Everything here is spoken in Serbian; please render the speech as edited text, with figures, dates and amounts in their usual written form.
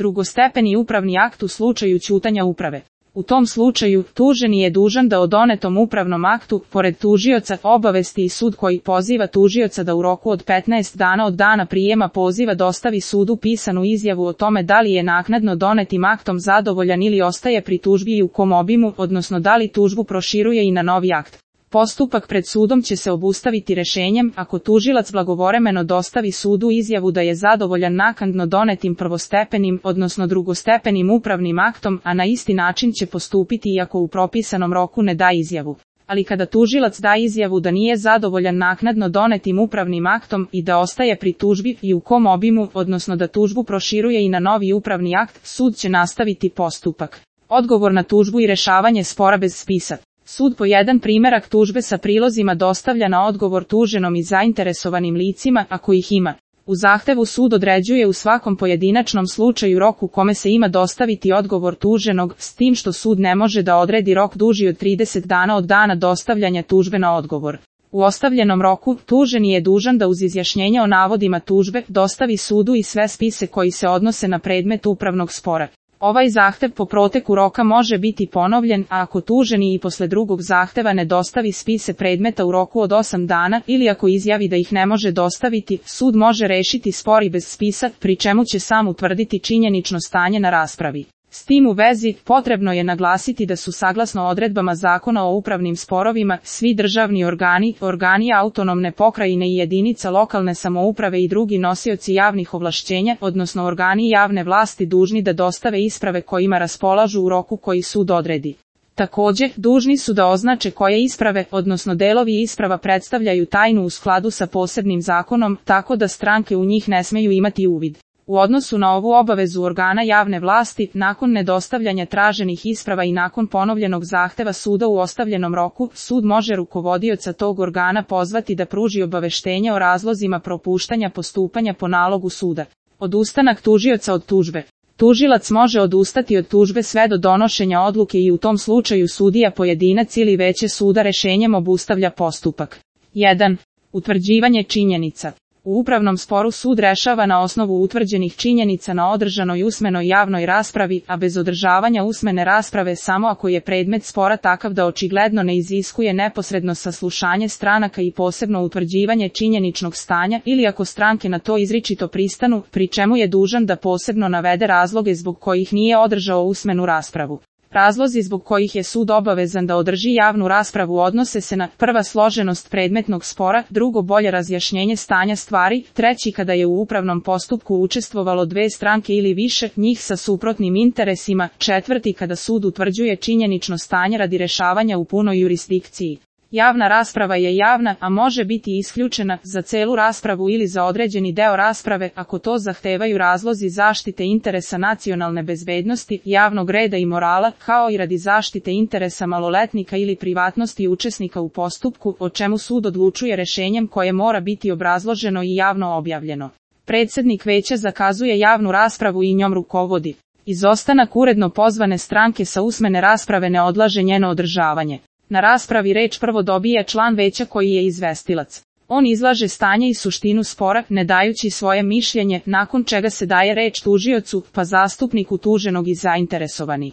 Drugostepeni upravni akt u slučaju ćutanja uprave. U tom slučaju, tuženi je dužan da o donetom upravnom aktu, pored tužioca, obavesti i sud koji poziva tužioca da u roku od 15 dana od dana prijema poziva dostavi sudu pisanu izjavu o tome da li je naknadno donetim aktom zadovoljan ili ostaje pri tužbi i u kom obimu, odnosno da li tužbu proširuje i na novi akt. Postupak pred sudom će se obustaviti rešenjem ako tužilac blagovremeno dostavi sudu izjavu da je zadovoljan naknadno donetim prvostepenim, odnosno drugostepenim upravnim aktom, a na isti način će postupiti i ako u propisanom roku ne da izjavu. Ali kada tužilac da izjavu da nije zadovoljan naknadno donetim upravnim aktom i da ostaje pri tužbi i u kom obimu, odnosno da tužbu proširuje i na novi upravni akt, sud će nastaviti postupak. Odgovor na tužbu i rešavanje spora bez spisa. Sud po jedan primerak tužbe sa prilozima dostavlja na odgovor tuženom i zainteresovanim licima, ako ih ima. U zahtevu sud određuje u svakom pojedinačnom slučaju rok u kome se ima dostaviti odgovor tuženog, s tim što sud ne može da odredi rok duži od 30 dana od dana dostavljanja tužbe na odgovor. U ostavljenom roku, tuženi je dužan da uz izjašnjenje o navodima tužbe dostavi sudu i sve spise koji se odnose na predmet upravnog spora. Ovaj zahtev po proteku roka može biti ponovljen, a ako tuženi i posle drugog zahteva ne dostavi spise predmeta u roku od 8 dana ili ako izjavi da ih ne može dostaviti, sud može rešiti spor i bez spisa, pri čemu će sam utvrditi činjenično stanje na raspravi. S tim u vezi, potrebno je naglasiti da su saglasno odredbama Zakona o upravnim sporovima, svi državni organi, organi autonomne pokrajine i jedinica lokalne samouprave i drugi nosioci javnih ovlašćenja, odnosno organi javne vlasti dužni da dostave isprave kojima raspolažu u roku koji sud odredi. Takođe, dužni su da označe koje isprave, odnosno delovi isprava predstavljaju tajnu u skladu sa posebnim zakonom, tako da stranke u njih ne smeju imati uvid. U odnosu na ovu obavezu organa javne vlasti, nakon nedostavljanja traženih isprava i nakon ponovljenog zahteva suda u ostavljenom roku, sud može rukovodioca tog organa pozvati da pruži obaveštenje o razlozima propuštanja postupanja po nalogu suda. Odustanak tužioca od tužbe. Tužilac može odustati od tužbe sve do donošenja odluke i u tom slučaju sudija pojedinac ili veće suda rešenjem obustavlja postupak. 1. Utvrđivanje činjenica. U upravnom sporu sud rešava na osnovu utvrđenih činjenica na održanoj usmenoj javnoj raspravi, a bez održavanja usmene rasprave samo ako je predmet spora takav da očigledno ne iziskuje neposredno saslušanje stranaka i posebno utvrđivanje činjeničnog stanja ili ako stranke na to izričito pristanu, pri čemu je dužan da posebno navede razloge zbog kojih nije održao usmenu raspravu. Razlozi zbog kojih je sud obavezan da održi javnu raspravu odnose se na: prva, složenost predmetnog spora, drugo, bolje razjašnjenje stanja stvari, treći, kada je u upravnom postupku učestvovalo dve stranke ili više njih sa suprotnim interesima, četvrti, kada sud utvrđuje činjenično stanje radi rešavanja u punoj jurisdikciji. Javna rasprava je javna, a može biti isključena za celu raspravu ili za određeni deo rasprave ako to zahtevaju razlozi zaštite interesa nacionalne bezbednosti, javnog reda i morala, kao i radi zaštite interesa maloletnika ili privatnosti učesnika u postupku, o čemu sud odlučuje rešenjem koje mora biti obrazloženo i javno objavljeno. Predsednik veća zakazuje javnu raspravu i njom rukovodi. Izostanak uredno pozvane stranke sa usmene rasprave ne odlaže njeno održavanje. Na raspravi reč prvo dobije član veća koji je izvestilac. On izlaže stanje i suštinu spora, ne dajući svoje mišljenje, nakon čega se daje reč tužiocu, pa zastupniku tuženog i zainteresovani.